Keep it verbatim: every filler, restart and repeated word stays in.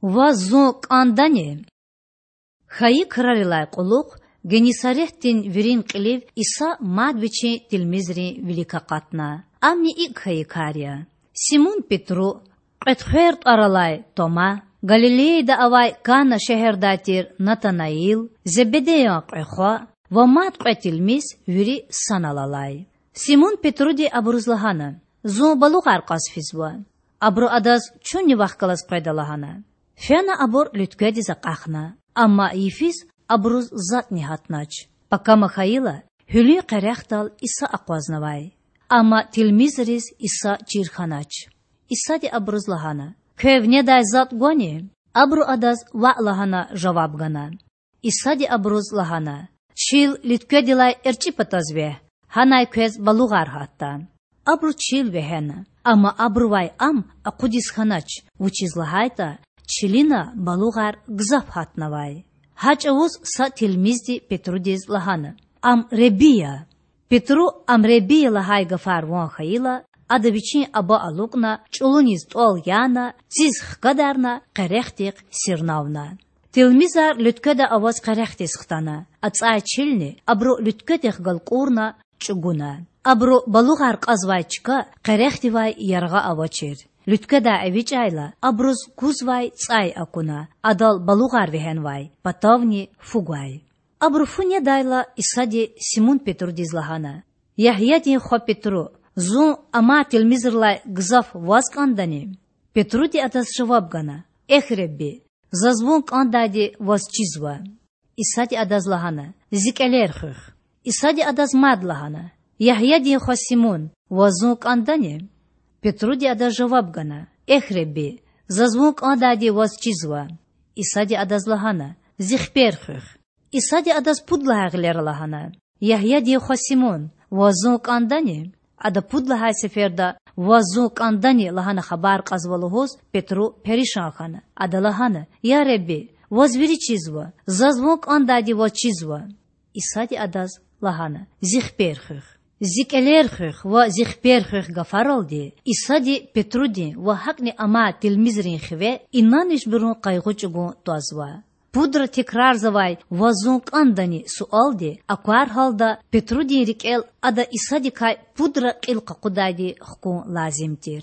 Ваз Зун кІандани? Хьайи крарилай кьулухъ Геннисаретдин вирин кьилив Иса мад Вичин тилмизрин вилик акъатна. Амни икІ хьайи кар я: Симун-Петру, Кьветхвер тІвар алай Тома, Галилеяда авай Кана шегьердай тир Натанаил, Зебедеян кьве хва ва мад кьве тилмиз, вири санал алай. Симун-Петруди абуруз лагьана: Зун балугъар кьаз физва. Абуру Адаз: Чунни вахъ галаз къведа,– лагьана. Фена абур луьткведиз акьахна, амма йифиз абуруз затІни гьатнач. Пакама хьайила, гьуьлуьн къерехдал Иса акъвазнавай. Амма тилмизриз Иса чир хьанач. Исади абуруз лагьана: Квев недай затІ гвани? Абуру Адаз ваъ лагьана жаваб гана. Исади абуруз лагьана: Чил луьткведилай эрчІи патаз вегь, гьанай квез балугъар гьатда. Абуру чил вегьена, амма абурувай ам акъудиз хьанач, вучиз лагьайтІа чилина балугъар гзаф гьатнавай. Гьа чІавуз са тилмизди Петрудиз лагьана: Ам Худа я. Петру Ам Худа я лагьай гафар ван хьайила, ада вичин аба алукІна, чІулуниз тІвал яна, циз хкадарна, къерехдихъ сирнавна. Тилмизар луьткведа аваз къерехдиз хтана, ацІай чилни абуру луьткведихъ галкІурна чІугуна. Абуру балугъар кьазвай чка къерехдивай яргъа авачир. Луьткведай эвичІайла, абуруз кузвай цІай акуна, адал балугъар вегьенвай, патавни фу гвай. Абуру фу недайла, Исади Симун-Петрудиз лагьана: Ягьядин хва Петру, Зун амай тилмизрилай гзаф ваз кІандани? Петруди Адаз жаваб гана: Эхь, Худа, заз Вун кІандайди Ваз чизва. Исади адаз лагьана: Зи кІелер хуьх. Исади адаз мад лагьана: Ягьядин хва Симун, ваз Зун кІандани? Петруди Адаз жаваб гана: Эхь, Худа, заз Вун кІандайди Ваз чизва. Исади адаз лагьана: Зи хипер хуьх. Исади адаз пуд лагьай гъилера лагьана: Ягьядин хва Симун, ваз Зун кІандани? Ада пуд лагьай сеферда Ваз Зун кІандани? лагьана хабар кьазва лугьуз, Петру перишан хьана. Ада лагьана: Я Худа, Ваз вири чизва, заз Вун кІандайди Ваз чизва. Исади адаз лагьана: Зи хипер хуьх. Зи кІелер хуьх ва Зи хипер хуьх гафаралди Исади Петрудин ва гьакІни амай тилмизрин хиве инанмишбурун къайгъу чІугун твазва. Пудра текрарзавай Ваз Зун кІандани? суалди аквар гьалда Петрудин рикІел ада Исадикай пудра кьил къакъудайди хкун лазим тир.